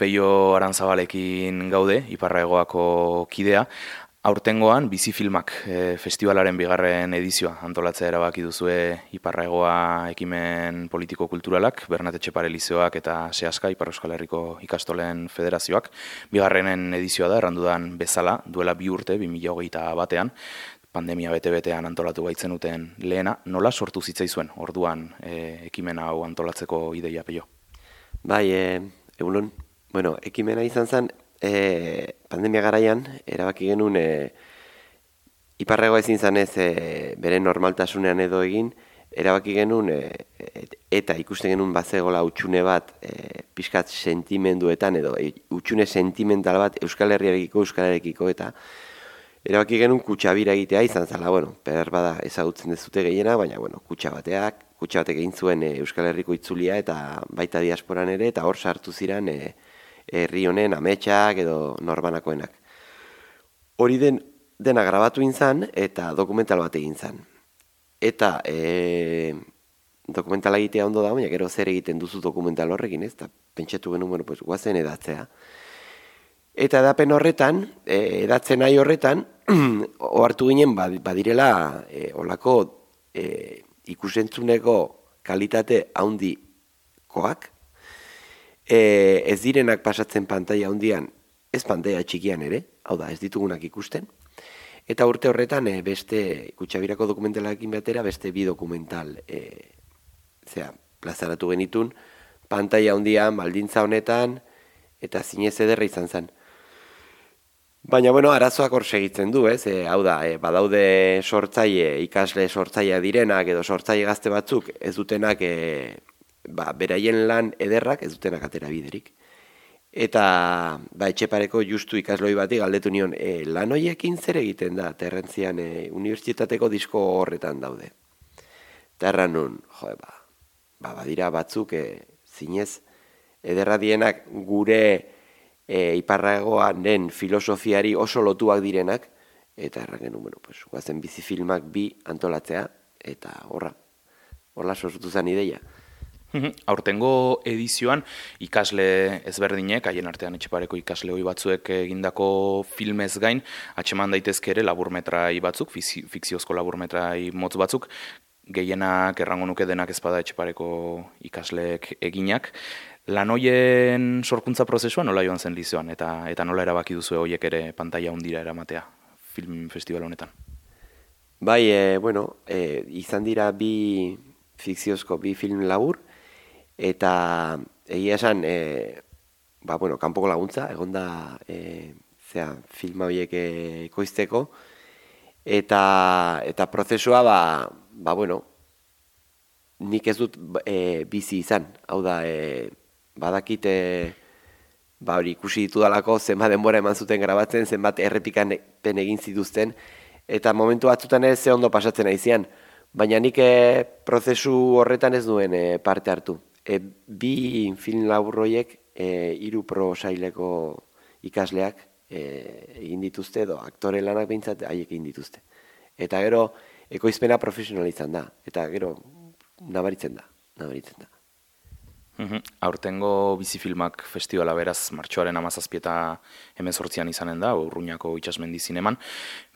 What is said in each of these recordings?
Peio Aranzabalekin gaude, Iparraegoako kidea. Aurtengoan Bizifilmak festivalaren bigarren edizioa antolatzea erabaki duzue Iparraegoa ekimen politiko-kulturalak, Bernat Etxepare Lizeoak eta Seaska, Ipar Euskal Herriko ikastolen federazioak. Bigarrenen edizioa da, errandudan bezala, duela 2 urte, 2021 pandemia bete-betean antolatu baitzenuten lehena. Nola sortu zitzaizuen orduan ekimen hau antolatzeko ideia, Peio? Bai, egunon. Bueno, ekimena izan zen, pandemia garaian, erabaki genuen Iparraegoa ezin zanez bere normaltasunean edo egin, erabaki genuen eta ikusten genuen bazegola hutsune bat pixkat sentimenduetan edo hutsune sentimental bat Euskal Herriarekiko eta erabaki genuen kutxabira egitea izan zela, bueno, bada ezagutzen dezute gehiena, baina bueno, kutxa batek egin zuen Euskal Herriko itzulia eta baita diasporan ere, eta hor sartu ziren herri honen ametsak edo norbanakoenak. Hori dena grabatu izan eta dokumental bat egin zan. Eta dokumentala egitea ondo da, baina gero zer egiten duzu dokumental horrekin, ez? Eta pentsatu genuen, bueno, pues, guazen edatzea. Eta edapen horretan, edatzen nahi horretan, ohartu ginen badirela olako ikusentzuneko kalitate handikoak, ez direnak pasatzen pantaila handian, ez pantaila txikian ere, hau da, ez ditugunak ikusten, eta urte horretan beste Kutxabirako dokumentalarekin batera beste 2 dokumental plazaratu genitun, pantaila handian, baldintza honetan, eta zinez ederra izan zen. Baina, bueno, arazoak hor segitzen du, ez? Hau da, badaude ikasle sortzaile direnak edo sortzaile gazte batzuk ez dutenak beraien lan ederrak ez dutenak atera biderik. Eta Etxepareko justu ikasloi bati galdetu nion, lan horiekin zer egiten da, Terrentzian unibertsitateko disko horretan daude. Eta erran nun, badira batzuk zinez ederra dienak gure Iparraegoaren filosofiari oso lotuak direnak, eta erran genuen, bueno, pues, guazen Bizifilmak 2 antolatzea, eta horla sortu zen ideia. Aurtengo edizioan ikasle ezberdinek, haien artean Etxepareko ikasle hoi batzuek egindako filmez gain, atxeman daitezke ere laburmetrai batzuk, fikziozko laburmetrai motz batzuk, gehienak errango nuke denak ezpada Etxepareko ikasleek eginak. Lan hoien sorkuntza prozesua nola joan zen Lizeoan, eta nola erabaki duzu hoiek ere pantaila hundira eramatea film festival honetan? Bai, izan dira 2 fikziozko 2 film labur, eta egia esan, kanpoko laguntza, egonda filma horiek ekoizteko, eta prozesua, nik ez dut bizi izan, hau da, badakit hori ikusi ditudalako zenbat denbora eman zuten grabatzen, zenbat errepikan egin zituzten, eta momentu batzutan ez ze ondo pasatzen aizian, baina nik prozesu horretan ez duen parte hartu. 2 film laburroiek 3 prosaileko ikasleak egin dituzte, edo aktore lanak behintzat haiek egin dituzte. Eta gero ekoizpena profesionalizan da, eta gero nabaritzen da. Aurtengo Bizifilmak festivala beraz martxoaren 17 eta 18 izanen da, Urruñako Itsasmendi Zineman.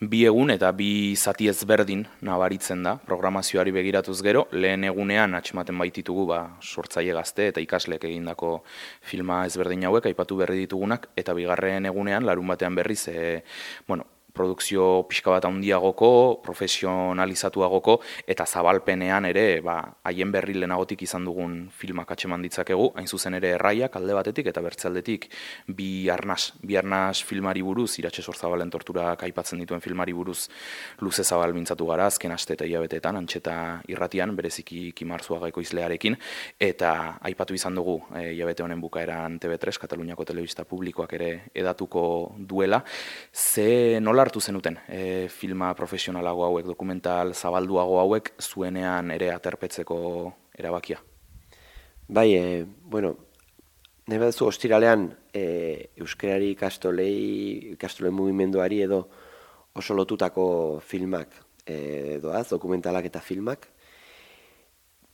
2 egun eta 2 zati ezberdin nabaritzen da, programazioari begiratuz gero, lehen egunean atxematen baititugu sortzaile gazte eta ikasleek egindako filma ezberdin hauek, aipatu berri ditugunak, eta bigarren egunean, larun batean berriz, produkzio pixka bat handiagoko, profesionalizatuagoko, eta zabalpenean ere, haien berri lehenagotik izan dugun filmak atxeman ditzakegu, hain zuzen ere Erraiak alde batetik eta bertzealdetik bi arnas filmari buruz, Iratxe Sorzabalen torturak aipatzen dituen filmari buruz luze zabal mintzatu gara, azken aste eta hilabeteetan, Antxeta irratian, bereziki Kimarzuaga ekoizlearekin, eta aipatu izan dugu hilabete honen bukaeran TV3, Kataluniako Telebista Publikoak ere edatuko duela. Nola hartu zenuten filma profesionalago hauek, dokumental zabalduago hauek, zuenean ere aterpetzeko erabakia? Bai, nahi baduzu ostiralean euskarari ikastolen mugimenduari edo oso lotutako filmak doaz, dokumentalak eta filmak,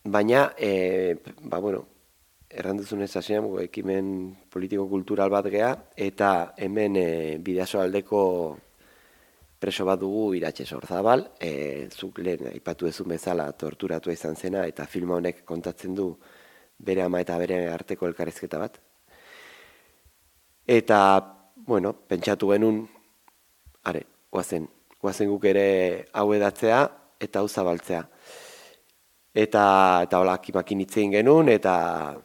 baina, erranduzun ez hasean, ekimen politiko-kultural bat gea, eta hemen Bidasoaldeko preso bat dugu Iratxe Sorzabal, zuk lehen aipatu duzun bezala torturatua izan zena, eta filma honek kontatzen du bere ama eta bere arteko elkarrizketa bat. Eta, bueno, pentsatu genuen, guazen guk ere hau edatzea eta hau zabaltzea. Eta hola, kimakin hitzein genuen, eta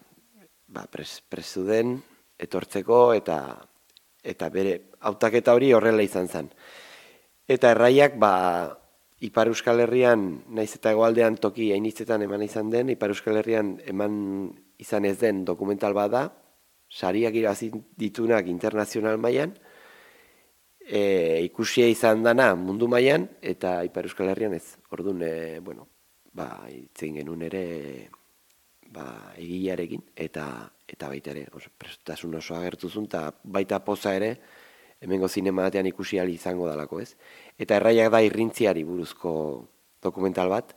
presu den, etortzeko, eta bere hautaketa hori horrela izan zen. Eta erraiak, Ipar Euskal Herrian, naiz eta hegoaldean toki hainitzetan eman izan den, Ipar Euskal Herrian eman izan ez den dokumental bat da, sariak irabazi ditunak internazional mailan, ikusia izan dana mundu mailan, eta Ipar Euskal Herrian ez. Orduan, itzein genuen ere egilearekin, eta baita ere, prestutasun oso agertu zuen, eta baita poza ere, hemengo zinema batean ikusi ahal izango dalako, ez? Eta erraiak da irrintziari buruzko dokumental bat,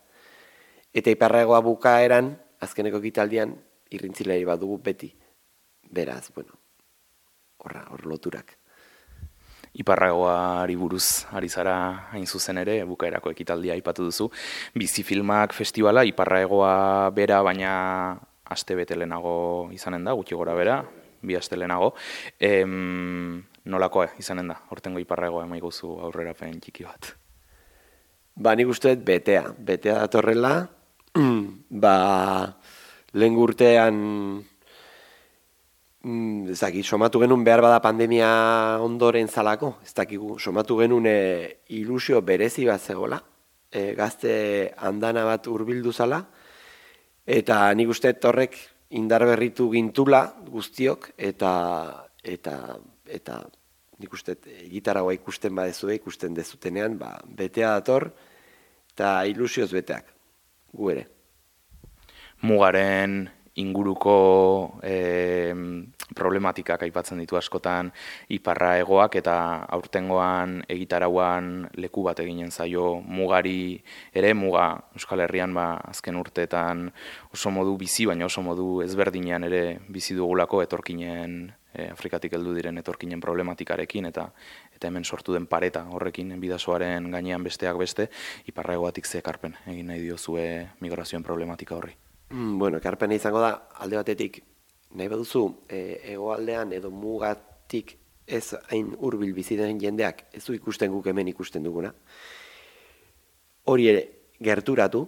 eta iparragoa bukaeran, azkeneko ekitaldian, irrintzilei bat dugu beti. Beraz, hor loturak. Iparragoari buruz ari zara hain zuzen ere, bukaerako ekitaldia aipatu duzu. Bizi Filmak festivala, Iparragoa bera, baina aste bete lehenago izanen da, gutxi gora bera, 2 aste lehenago. Nolakoa izanen da, hortengo Iparragoa emaiguzu aurrerapen txiki bat? Nik uste dut betea datorrela, lehen urtean somatu genuen behar bada pandemia ondoren zalako, ez dakigu, somatu genuen ilusio berezi bat zegoela, gazte andana bat hurbildu zala, eta nik uste horrek indar berritu gintula guztiok, eta nik uste gitarragoa ikusten badezue, ikusten dezutenean, betea dator, eta ilusioz beteak, gu ere. Mugaren inguruko problematikak aipatzen ditu askotan Iparragoak, eta aurtengoan egitarauan leku bat eginen zaio mugari ere, muga Euskal Herrian azken urteetan oso modu bizi, baina oso modu ezberdinean ere bizi dugulako etorkinen, Afrikatik heldu diren etorkinen problematikarekin, eta hemen sortu den pareta horrekin Bidasoaren gainean besteak beste, Iparragoatik ze ekarpen egin nahi diozue migrazioen problematika horri? Ekarpena izango da, alde batetik, nahi baduzu, hegoaldean edo mugatik ez hain hurbil bizi den jendeak, ez du ikusten guk hemen ikusten duguna. Hori ere, gerturatu,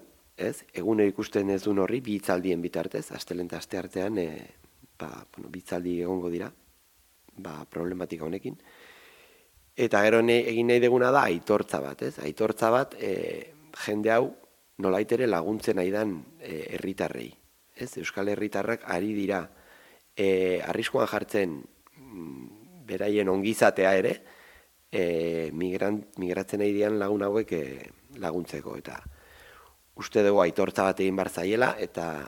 egunero ikusten ez duen horri, bi hitzaldien bitartez, astelen eta asteartean, bi hitzaldi egongo dira, problematika honekin. Eta gero egin nahi duguna da, aitortza bat, aitortza bat, jende hau, nolaitere laguntzen nahi dan herritarrei. Euskal herritarrak ari dira arriskuan jartzen beraien ongizatea ere, migratzen nahi dian lagun hauek laguntzeko. Eta uste dugu aitortza bat egin bar zaiela, eta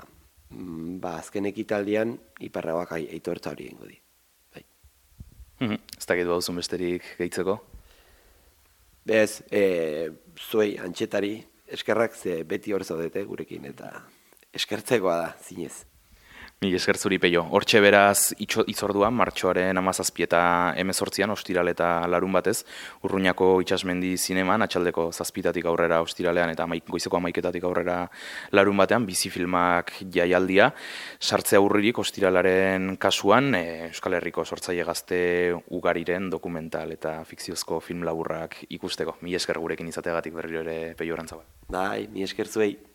azken ekitaldian Iparragoak aitortza hori egingo di. Ez dakit bauzun besterik gehitzeko? Bez, zuei antxetari eskerrak, ze beti hor zaudete gurekin, eta eskertzekoa da, zinez. Mil esker zuri, Peio. Hortxe beraz itzorduan, martxoaren 17 eta 18 ostiral eta larun batez, Urruñako Itsasmendi zineman, atxaldeko 7 aurrera ostiralean eta goizeko 11 aurrera larun batean, Bizi Filmak jaialdia, sartzea urririk ostiralaren kasuan, Euskal Herriko sortzaile gazte ugariren dokumental eta fikziozko film laburrak ikusteko. Mil esker gurekin izateagatik berriro ere, Peio Arantzabal. Mil esker zuei.